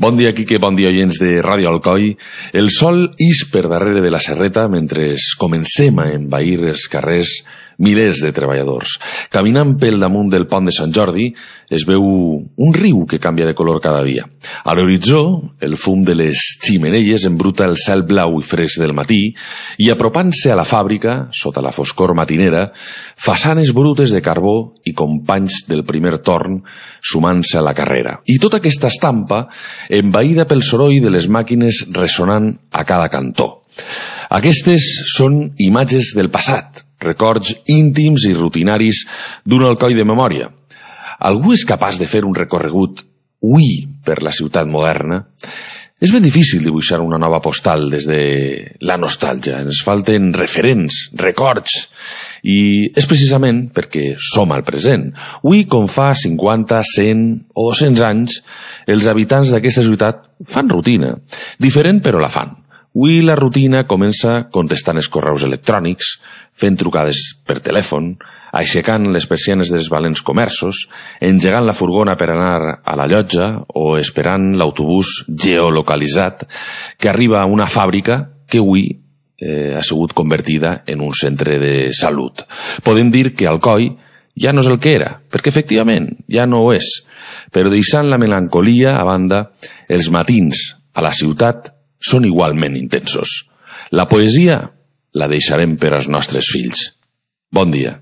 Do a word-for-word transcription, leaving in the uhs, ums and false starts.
Bon dia, Quique, bon dia, oients de Ràdio Alcoi. El sol ix per darrere de la serreta mentre comencem a envair els carrers milers de treballadors. Caminant pel damunt del pont de Sant Jordi es veu un riu que canvia de color cada dia. A l'horitzó, el fum de les ximeneies embruta el cel blau i fresc del matí i apropant-se a la fàbrica, sota la foscor matinera, façanes brutes de carbó i companys del primer torn sumant-se a la carrera. I tota aquesta estampa envaïda pel soroll de les màquines ressonant a cada cantó. Aquestes són imatges del passat, records íntims i rutinaris d'un Alcoi de memòria. Algú és capaç de fer un recorregut hui per la ciutat moderna? És ben difícil dibuixar una nova postal des de la nostàlgia. Ens falten referents, records, i és precisament perquè som al present. Hui, com fa cinquanta, cent o dos-cents anys, els habitants d'aquesta ciutat fan rutina. Diferent, però la fan. Hui la rutina comença contestant els correus electrònics, fent trucades per telèfon, aixecant les persianes dels valents comerços, engegant la furgona per anar a la llotja o esperant l'autobús geolocalitzat que arriba a una fàbrica que avui eh, ha sigut convertida en un centre de salut. Podem dir que Alcoi ja no és el que era, perquè efectivament ja no ho és, però deixant la melancolia a banda, els matins a la ciutat són igualment intensos. La poesia la deixarem per als nostres fills. Bon dia.